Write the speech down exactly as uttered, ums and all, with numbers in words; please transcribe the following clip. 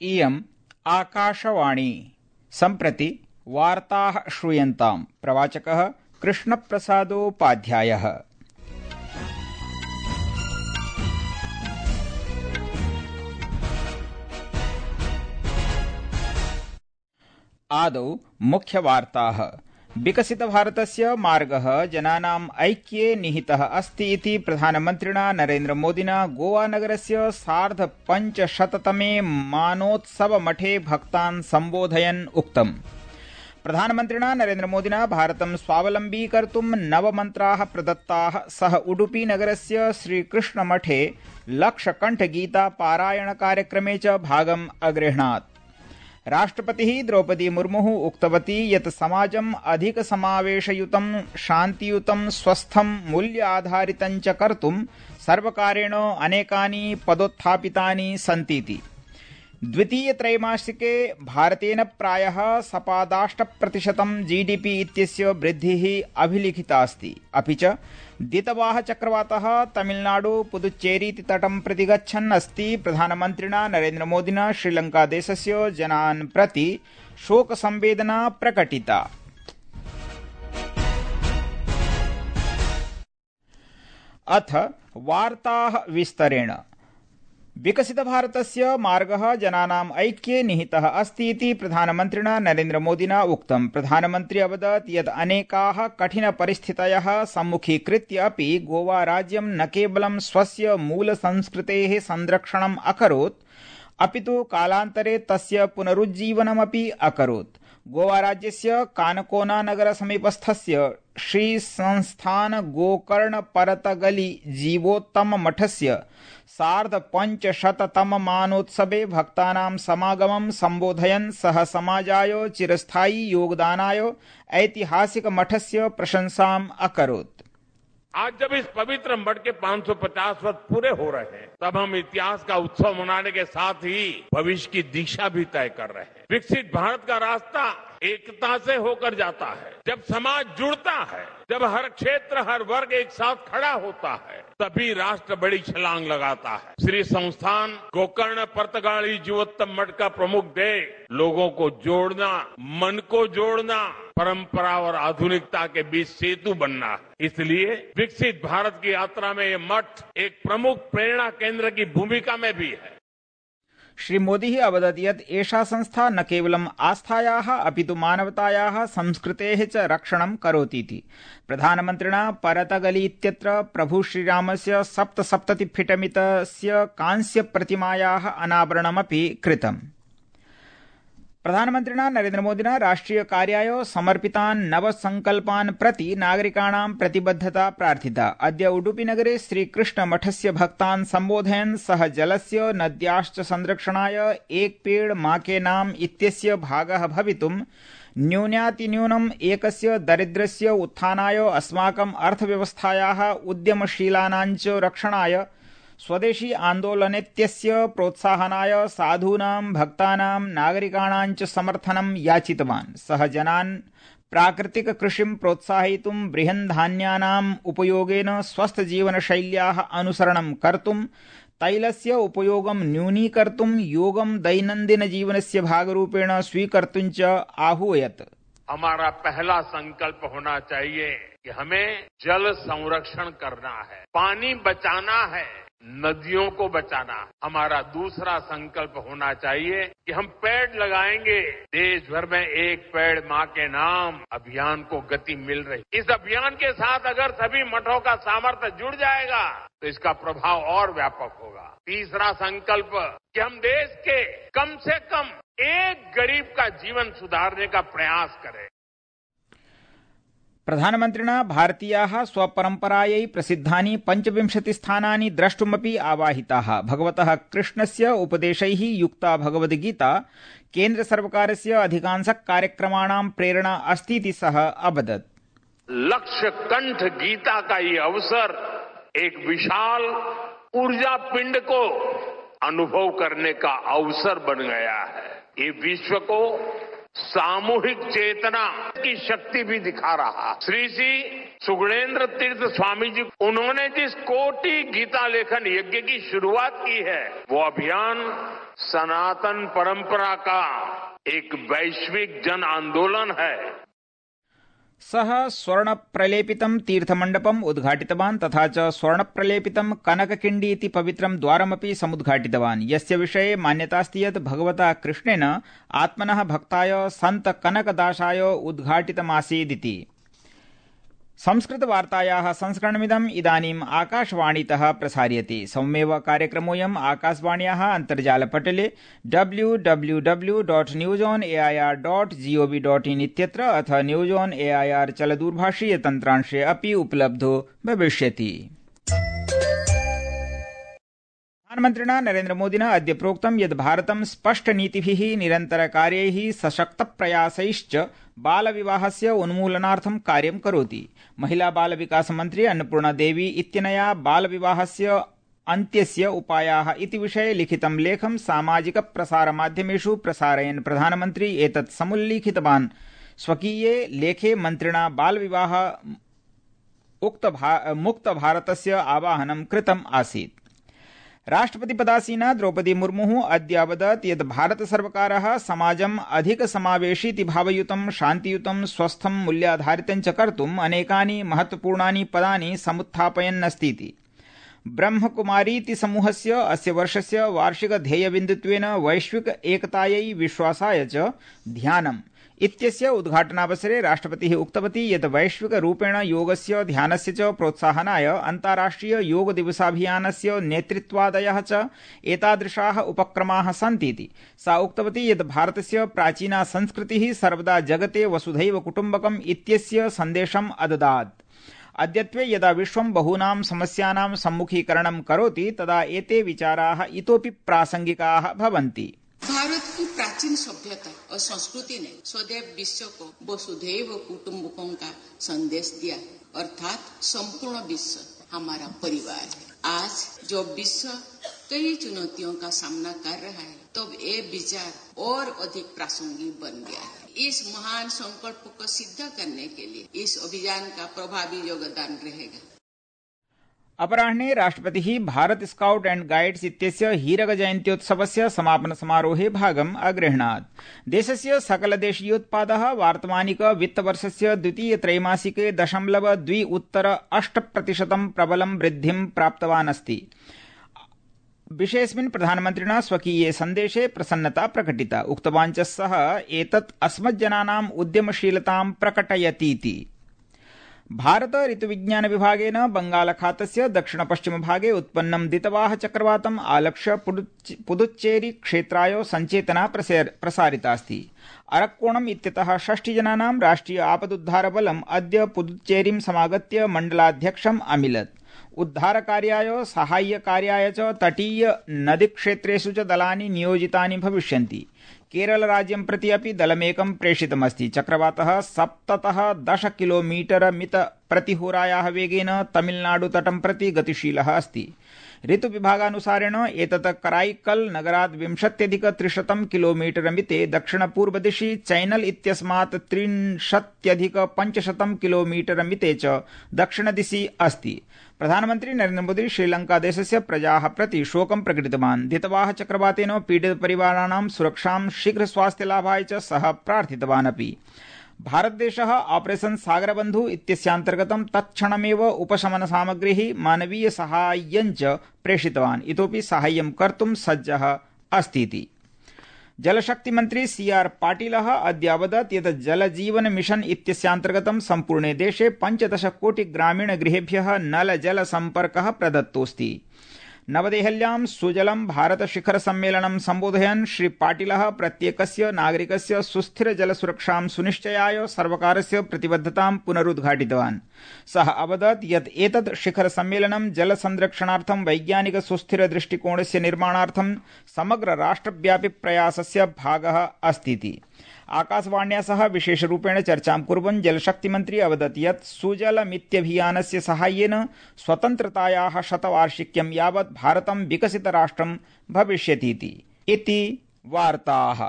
इयम् आकाशवाणी। सम्प्रति वार्ताः श्रूयन्ताम्। प्रवाचकः कृष्णप्रसादोपाध्यायः। आदौ मुख्यवार्ताः। विकसितभारतस्य मार्गः जनानाम् ऐक्ये निहितः अस्ति इति प्रधानमन्त्रिणा नरेन्द्रमोदिना गोवानगरस्य सार्धपञ्चशततमे मानोत्सवमठे भक्तान् सम्बोधयन् उक्तम्। प्रधानमन्त्रिणा नरेन्द्रमोदिना भारतं स्वावलम्बी कर्तुं नवमन्त्राः प्रदत्ताः। सः उडुपीनगरस्य श्रीकृष्णमठे लक्षकण्ठगीता पारायणकार्यक्रमे च भागम् अगृह्णात्। राष्ट्रपतिः द्रौपदी मुर्मुः उक्तवती यत् समाजम् अधिकसमावेशयुतं, शान्तियुतं, स्वस्थं, मूल्याधारितं च कर्तुं सर्वकारेण अनेकानि पदोत्थापितानि सन्तीति। द्वितीयत्रैमासिके भारतेन प्रायः सपादाष्टप्रतिशतं जीडीपी इत्यस्य वृद्धिः अभिलिखितास्ति। अपि च दितवाः चक्रवातः तमिलनाडु पुदुच्चेरीति तटं प्रति गच्छन् अस्ति। प्रधानमन्त्रिणा नरेन्द्रमोदिना श्रीलङ्कादेशस्य जनान् प्रति शोकसंवेदना प्रकटिता। अथ वार्ताः विस्तरेण। विकसितभारतस्य मार्गः जनानाम् ऐक्ये निहितः अस्ति इति प्रधानमन्त्रिणा नरेन्द्रमोदिना उक्तम्। प्रधानमन्त्री अवदत् यत् अनेकाः कठिनपरिस्थितयः सम्मुखीकृत्य अपि गोवा राज्यं न केवलं स्वस्य मूलसंस्कृतेः संरक्षणम् अकरोत्, अपितु कालान्तरे तस्य पुनरुज्जीवनमपि अकरोत्। गोवा राज्यस्य कानकोना नगर समीपस्थस्य श्री संस्थान गोकर्ण परतगली जीवोत्तम मठस्य सार्धपञ्चशततम मानोत्सवे भक्तानां समागमं सम्बोधयन् सः समाजाय चिरस्थायी योगदानाय ऐतिहासिक मठस्य प्रशंसाम् अकरोत्। आज जब इस पवित्र मठ के पाँच सौ पचास वर्ष पूरे हो रहे हैं, तब हम इतिहास का उत्सव मनाने के साथ ही भविष्य की दिशा भी तय कर रहे हैं। विकसित भारत का रास्ता एकता से होकर जाता है। जब समाज जुड़ता है, जब हर क्षेत्र, हर वर्ग एक साथ खड़ा होता है, तभी राष्ट्र बड़ी छलांग लगाता है। श्री संस्थान गोकर्ण परतगाली जीवोत्तम मठ का प्रमुख ध्येय लोगों को जोड़ना, मन को जोड़ना, परंपरा और आधुनिकता के बीच सेतु बनना है। इसलिए विकसित भारत की यात्रा में ये मठ एक प्रमुख प्रेरणा केंद्र की भूमिका में भी है। श्री मोदी अवदत् यत् एषा संस्था न केवलम् आस्थायाः अपितु मानवतायाः, संस्कृतेः च रक्षणं करोतीति। प्रधानमन्त्रिणा परतगली इत्यत्र प्रभु श्रीरामस्य सप्तसप्ततिफिटमितस्य कांस्यप्रतिमायाः अनावरणमपि कृतम्। प्रधानमन्त्रिणा नरेन्द्रमोदिना राष्ट्रियकार्याय समर्पितान् नवसंकल्पान् प्रति नागरिकाणां प्रतिबद्धता प्रार्थिता। अद्य उडुपीनगरे श्रीकृष्णमठस्य भक्तान् सम्बोधयन् सः जलस्य, नद्याश्च संरक्षणाय एक पेड़ मा के नाम इत्यस्य भागः भवितुं न्यूनातिन्यूनम् एकस्य दरिद्रस्य उत्थानाय, अस्माकम् अर्थव्यवस्थायाः उद्यमशीलानां च रक्षणाय, स्वदेशी आन्दोलनेत्यस्य प्रोत्साहनाय, साधूनां, भक्तानां, नागरिकाणां च समर्थनं याचितवान्। सः जनान् प्राकृतिक कृषिं प्रोत्साहयितुं, बृहन्धान्यानाम् उपयोगेन स्वस्थजीवनशैल्याः अनुसरणं कर्तुं, तैलस्य उपयोगं न्यूनीकर्तुं, योगं दैनन्दिनजीवनस्य भागरूपेण स्वीकर्तुं च आहूयत्। हमारा पहला संकल्प होना चाहिए कि हमें जल संरक्षण करना है, पानी बचाना है, नदियों को बचाना। हमारा दूसरा संकल्प होना चाहिए कि हम पेड़ लगाएंगे। देश भर में एक पेड़ माँ के नाम अभियान को गति मिल रही। इस अभियान के साथ अगर सभी मठों का सामर्थ्य जुड़ जाएगा तो इसका प्रभाव और व्यापक होगा। तीसरा संकल्प कि हम देश के कम से कम एक गरीब का जीवन सुधारने का प्रयास करें। प्रधानमन्त्रिणा भारतीयाः स्वपरम्परायै प्रसिद्धानि पञ्चविंशतिस्थानानि द्रष्टुमपि आवाहिताः। भगवतः कृष्णस्य उपदेशैः युक्ता भगवद्गीता केन्द्रसर्वकारस्य अधिकांशकार्यक्रमाणां प्रेरणा अस्तीति सः अवदत्। लक्ष्य कंठ गीता का ये अवसर एक विशाल ऊर्जा पिंड को अनुभव करने का अवसर बन गया है। ये विश्व को सामूहिक चेतना की शक्ति भी दिखा रहा। श्री श्री सुगुणेन्द्र तीर्थ स्वामी जी, उन्होंने जिस कोटि गीता लेखन यज्ञ की शुरुआत की है, वो अभियान सनातन परंपरा का एक वैश्विक जन आंदोलन है। सः स्वर्ण प्रलेपितं तीर्थमण्डपम् उद्घाटितवान् तथा च स्वर्ण प्रलेपितं कनककिण्डी इति पवित्रं द्वारमपि समुद्घाटितवान् यस्य विषये मान्यतास्ति यत् भगवता कृष्णेन आत्मनः भक्ताय सन्त कनकदासाय उद्घाटितमासीदिति। संस्कृतवार्तायाः संस्करणमिदम् इदानीम् आकाशवाणीतः प्रसार्यते। सौम्येव कार्यक्रमोऽयम् आकाशवाण्याः अन्तर्जालपटले W W W dot news on A I R dot gov dot in इत्यत्र अथ news on A I R चलदूरभाषीय तन्त्रांशे अपि उपलब्धो भविष्यति। प्रधानमन्त्रिणा नरेन्द्रमोदिना अद्य प्रोक्तं यत् भारतं स्पष्टनीतिभिः निरन्तरकार्यैः सशक्तप्रयासैश्च बालविवाहस्य उन्मूलनार्थं कार्यं करोति। महिला बाल विकास मन्त्री अन्नपूर्णा देवी इत्यनया बालविवाहस्य अन्त्यस्य उपायाः इति विषये लिखितं लेखं सामाजिक प्रसारमाध्यमेषु प्रसारयन् प्रधानमन्त्री एतत् समुल्लिखितवान्। स्वकीये लेखे मन्त्रिणा बालविवाह मुक्त भारतस्य आवाहनं कृतम् आसीत्। राष्ट्रपतिपदासीना द्रौपदी मुर्मुः अद्य अवदत् यत् भारतसर्वकारः समाजम् अधिक समावेशीति भावयुतं शान्तियुतं स्वस्थं मूल्याधारितं च कर्तुम् अनेकानि महत्वपूर्णानि पदानि समुत्थापयन्नस्तीति। ब्रह्मकुमारीति समूहस्य अस्य वर्षस्य वार्षिक ध्येयबिन्दुत्वेन वैश्विक एकतायै विश्वासाय च ध्यानम् इत्यस्य उद्घाटनावसरे राष्ट्रपतिः उक्तवती यत् वैश्विक रूपेण योगस्य ध्यानस्य च प्रोत्साहनाय अन्ताराष्ट्रिय योग दिवसाभियानस्य नेतृत्वादयः च एतादृशाः उपक्रमाः सन्तीति। सा उक्तवती यत् भारतस्य प्राचीना संस्कृतिः सर्वदा जगते वसुधैव कुटुम्बकम् इत्यस्य सन्देशम् अददात्। अद्यत्वे यदा विश्वं बहूनां समस्यानां सम्मुखीकरणं करोति तदा एते विचाराः इतोपि प्रासंगिकाः भवन्ति। भारत की प्राचीन सभ्यता और संस्कृति ने सदैव विश्व को वसुधैव कुटुम्बकम का संदेश दिया, अर्थात संपूर्ण विश्व हमारा परिवार है। आज जब विश्व कई चुनौतियों का सामना कर रहा है तब ये विचार और अधिक प्रासंगिक बन गया है। इस महान संकल्प को सिद्ध करने के लिए इस अभियान का प्रभावी योगदान रहेगा। अपराह्ने राष्ट्रपतिः भारत स्काउट एण्ड गाइड्स इत्यस्य हीरक जयन्त्योत्सवस्य समापन समारोहे भागम् अगृह्णात्। देशस्य सकलदेशीयोत्पादः वार्तमानिक वित्तवर्षस्य द्वितीय त्रैमासिके दशमलव द्वि उत्तर अष्ट प्रतिशतं प्रबलं वृद्धिं प्राप्तवान् अस्ति। विषयेऽस्मिन् प्रधानमन्त्रिणा स्वकीये सन्देशे प्रसन्नता प्रकटिता। उक्तवान् च सः एतत् अस्मज्जनानाम् उद्यमशीलतां प्रकटयतीति। भारत ऋतुविज्ञान विभागेन बंगालखातस्य दक्षिण पश्चिम भागे उत्पन्नं दितवाह चक्रवातम् आलक्ष्य पुदुच्चेरी क्षेत्राय सञ्चेतना प्रसारितास्ति। अरक्कोणम् इत्यतः षष्टिजनानां राष्ट्रिय आपदुद्धारबलम् अद्य पुदुच्चेरीं समागत्य मण्डलाध्यक्षम् अमिलत्। उद्धारकार्याय साहाय्यकार्याय च तटीय नदीक्षेत्रेषु च दलानि नियोजितानि भविष्यन्ति। केरल राज्यं प्रति अपि दलमेकं प्रेषितमस्ति। चक्रवातः सप्ततः दश किलोमीटर मित प्रतिहोरायाः वेगेन तमिलनाडु तटं प्रति गतिशीलः अस्ति। ऋतुविभागानुसारेण एतत् कराईकल नगरात् विंशत्यधिक त्रिशतं किलोमीटर मिते दक्षिणपूर्वदिशि चैनल इत्यस्मात् त्रिंशत्यधिक पञ्चशतं किलोमीटर मिते च दक्षिणदिशि अस्ति। प्रधानमन्त्री नरेन्द्र मोदी श्रीलंकादेशस्य प्रजाः प्रति शोकं प्रकटितवान्। दितवाह चक्रवातेन पीडितपरिवाराणां सुरक्षां शीघ्र स्वास्थ्यलाभाय च सः प्रार्थितवान् अपि। भारतदेशः ऑपरेशन सागरबन्धु इत्यस्यान्तर्गतं तत्क्षणमेव उपशमन सामग्रीः मानवीय साहाय्यं च प्रेषितवान्। इतोपि साहाय्यं कर्तुं सज्जः अस्तीति। जलशक्ति मन्त्री सी आर पाटिलः अद्य अवदत् यत् जलजीवन मिशन इत्यस्यान्तर्गतं सम्पूर्णे देशे पञ्चदश कोटि ग्रामीण गृहेभ्यः नल जल सम्पर्कः प्रदत्तोऽस्ति। नवदेहल्यां सुजलं भारत शिखर सम्मेलनं सम्बोधयन् श्री पाटिलः प्रत्येकस्य नागरिकस्य सुस्थिर जलसुरक्षां सुनिश्चयाय सर्वकारस्य प्रतिबद्धतां पुनरुद्घाटितवान्। सः अवदत् यत् एतत् शिखर सम्मेलनं जल संरक्षणार्थं वैज्ञानिक सुस्थिर दृष्टिकोणस्य निर्माणार्थं समग्र राष्ट्रव्यापि प्रयासस्य भागः अस्तीति। आकाशवाण्या सह विशेषरूपेण चर्चां कुर्वन् जलशक्तिमन्त्री अवदत् यत् सुजलमित्यभियानस्य साहाय्येन स्वतन्त्रतायाः शतवार्षिक्यं यावत् भारतं विकसितराष्ट्रं भविष्यतीति। इति वार्ताः।